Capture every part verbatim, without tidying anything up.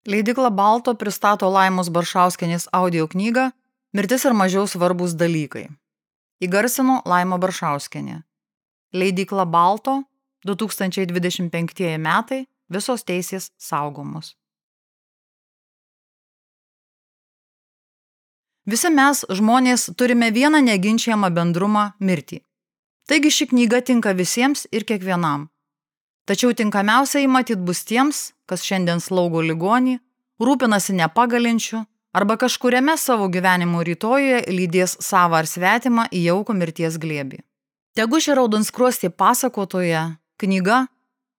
Leidykla Balto pristato Laimos Baršauskienės audio knygą Mirtis ir mažiau svarbūs dalykai. Įgarsino Laima Baršauskienė. Leidykla Balto, du tūkstančiai dvidešimt penktieji metai, visos teisės saugomos. Visi mes, žmonės, turime vieną neginčiamą bendrumą – mirtį. Taigi ši knyga tinka visiems ir kiekvienam. Tačiau tinkamiausiai matyt bus tiems, kas šiandien slaugo ligonį, rūpinasi nepagalinčiu arba kažkuriame savo gyvenimo rytojuje lydės savą ar svetimą į jaukų mirties glėbį. Tegu ši raudonskruostė pasakotoja, knyga,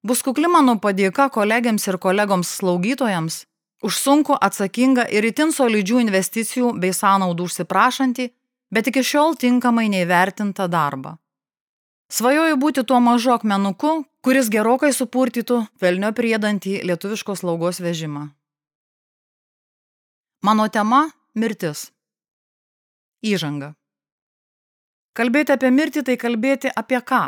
bus kukli mano padėka kolegiams ir kolegoms slaugytojams už sunku, atsakingą ir itin solidžių investicijų bei sąnaudų užsiprašantį, bet iki šiol tinkamai neįvertintą darbą. Svajoju būti tuo mažu akmenuku, kuris gerokai supurtytų velnio priedantį lietuviškos slaugos vežimą. Mano tema – mirtis. Įžanga. Kalbėti apie mirtį tai kalbėti apie ką?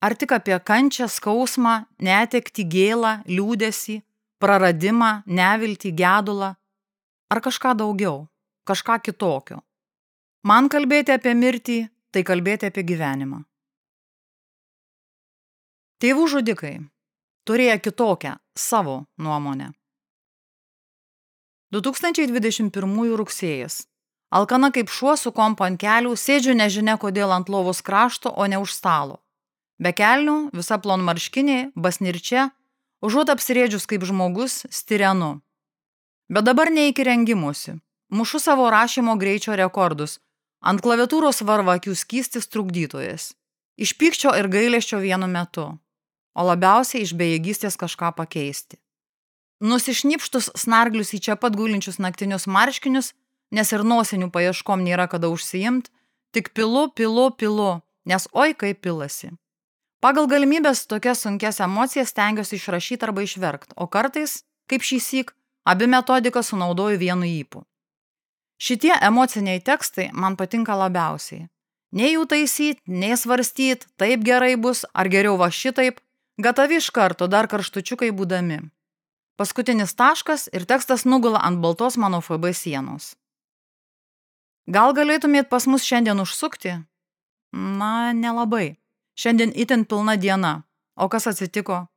Ar tik apie kančią, skausmą, netektį, gėlą, liūdesį, praradimą, neviltį, gedulą? Ar kažką daugiau, kažką kitokio? Man kalbėti apie mirtį tai kalbėti apie gyvenimą. Tėvų žudikai turėjo kitokią savo nuomonę. du tūkstančiai dvidešimt pirmųjų rugsėjas. Alkana kaip šuo su kompu ant kelių, sėdžiu nežinia kodėl ant lovos krašto, o ne už stalo. Be kelnių, visa plonmarškinė, basnirčia, užuot apsirėdžius kaip žmogus, stirenu. Bet dabar ne iki rengimusi. Mušu savo rašymo greičio rekordus. Ant klaviatūros varva akių skystis trukdytojas. Iš pykčio ir gailesčio vienu metu. O labiausiai iš bejėgystės kažką pakeisti. Nusišnipštus snarglius į čia pat gulinčius naktinius marškinius, nes ir nosinių paieškom nėra kada užsiimt, tik pilu, pilu, pilu, nes oi kaip pilasi. Pagal galimybės tokias sunkias emocijas stengiuosi išrašyti arba išverkt, o kartais, kaip šįsyk, abi metodikas sunaudoju vienu ypu. Šitie emociniai tekstai man patinka labiausiai. Nei jų taisyt, nei svarstyt, taip gerai bus, ar geriau va šitaip, gatavi iš karto, dar karštučiukai būdami. Paskutinis taškas ir tekstas nugula ant baltos mano F B sienos. Gal galėtumėt pas mus šiandien užsukti? Na, nelabai. Šiandien itin pilna diena. O kas atsitiko?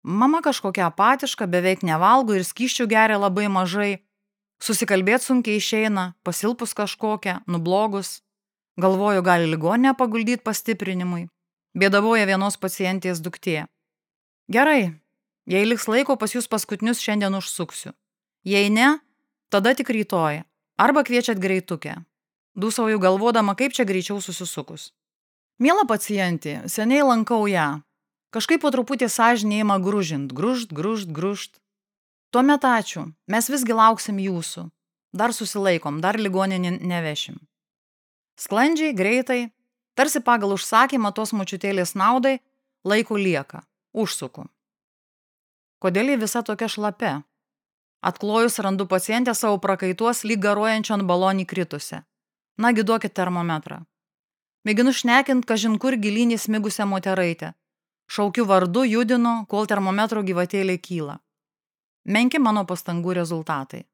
Mama kažkokia apatiška, beveik nevalgo ir skysčių geria labai mažai. Susikalbėt sunkiai išeina, pasilpus kažkokia, nublogus. Galvoju, gali ligoninę paguldyti pastiprinimui. Bėdavoja vienos pacientės duktė. Gerai, jei liks laiko pas jūs paskutinius šiandien užsuksiu. Jei ne, tada tik rytoj. Arba kviečiat greitukę. Dūsauju galvodama, kaip čia greičiau susisukus. Miela pacientė, seniai lankau ją. Kažkaip po truputį sąžinė ima gružint, gružt, gružt, gružt. Tuomet ačiū, mes visgi lauksim jūsų. Dar susilaikom, dar ligoninį nevešim. Sklandžiai, greitai, tarsi pagal užsakymą tos močiutėlės naudai, laiko lieka. Užsuku. Kodėl ji visa tokia šlapia? Atklojus randu pacientę savo prakaituos lyg garuojančio ant balonį kritusią. Nagi duokit termometrą. Mėginu šnekint, kažin kur gilynį smigusią moteraitę. Šaukiu vardu, judinu, kol termometro gyvatėlė kyla. Menki mano pastangų rezultatai.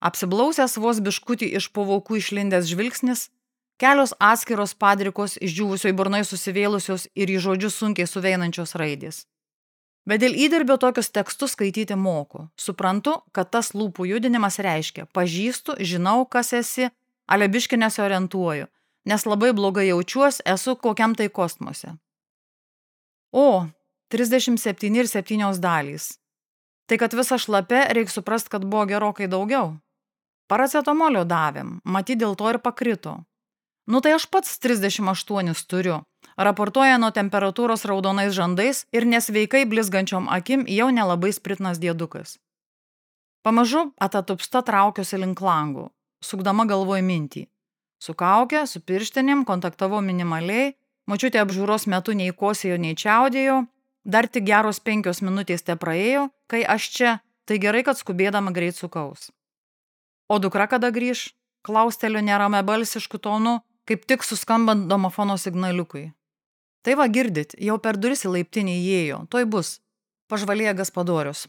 Apsiblausęs vos biškutį iš po vokų išlindęs žvilgsnis, kelios atskiros padrikos išdžiūvusioj burnoj susivėlusios ir į žodžius sunkiai suveinančios raidės. Bet dėl įdirbio tokius tekstus skaityti moku. Suprantu, kad tas lūpų judinimas reiškia pažįstu, žinau, kas esi, ale biški nesiorientuoju, nes labai blogai jaučiuos, esu kokiam tai kosmose. O, trisdešimt septyni ir septynios dalys. Tai kad visa šlapia, reik suprast, kad buvo gerokai daugiau. Paracetamolio davėm, matyt dėl to ir pakrito. Nu tai aš pats trisdešimt aštuonis turiu. Raportuoja nuo temperatūros raudonais žandais ir nesveikai blizgančiom akim jau nelabai spritnas diedukas. Pamažu atatupsta traukiuosi link langų, sukdama galvoj mintį. Su kauke, su pirštinėm kontaktavau minimaliai, močiutė apžiūros metu nei kosėjo, nei čiaudėjo, dar tik geros penkios minutės te praėjo, kai aš čia, tai gerai, kad skubėdama greit sukaus. O dukra kada grįž? Klausteliu nerame balsišku tonu, kaip tik suskambant domofono signaliukui. Tai va girdit, jau per duris į laiptinį įėjo, toj bus. Pažvalėja Gaspadorius.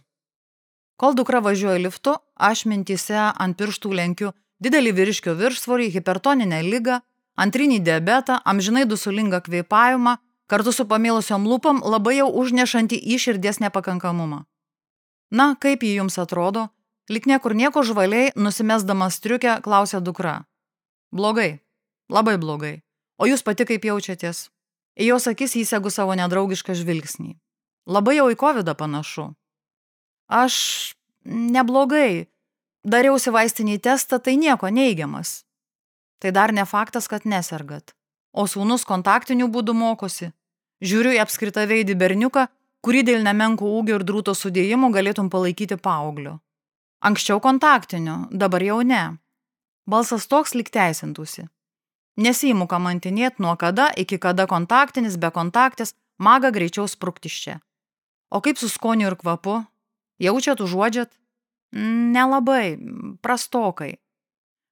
Kol dukra važiuoja liftu, aš mintyse ant pirštų lenkiu didelį vyriškio viršsvorį, hipertoninę ligą, antrinį diabetą, amžinai dusulingą kvėpavimą, kartu su pamėlusiom lūpom labai jau užnešantį į širdies nepakankamumą. Na, kaip jį jums atrodo? Lik niekur nieko žvaliai, nusimesdamas striukę, klausė dukra. Blogai, labai blogai. O jūs pati kaip jaučiatės? Į jos akis įsegu savo nedraugišką žvilgsnį. Labai jau į kovidą panašu. Aš neblogai. Dariausi vaistinį testą, tai nieko neigiamas. Tai dar ne faktas, kad nesergat. O sūnus kontaktiniu būdu mokosi. Žiūriu į apskritaveidį berniuką, kurį dėl nemenko ūgio ir drūto sudėjimo galėtum palaikyti paaugliu. Anksčiau kontaktiniu, dabar jau ne. Balsas toks lyg teisintųsi. Nesiimu kamantinėt nuo kada iki kada kontaktinis, be kontaktis, maga greičiau sprukti iš čia. O kaip su skoniu ir kvapu? Jaučiat, užuodžiat? Nelabai, prastokai.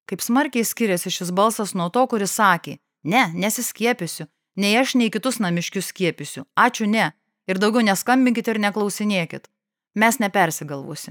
Kaip smarkiai skiriasi šis balsas nuo to, kuris sakė, ne, nesiskiepysiu, nei aš, nei kitus namiškius skiepysiu, ačiū ne, ir daugiau neskambinkit ir neklausinėkit, mes nepersigalvosim.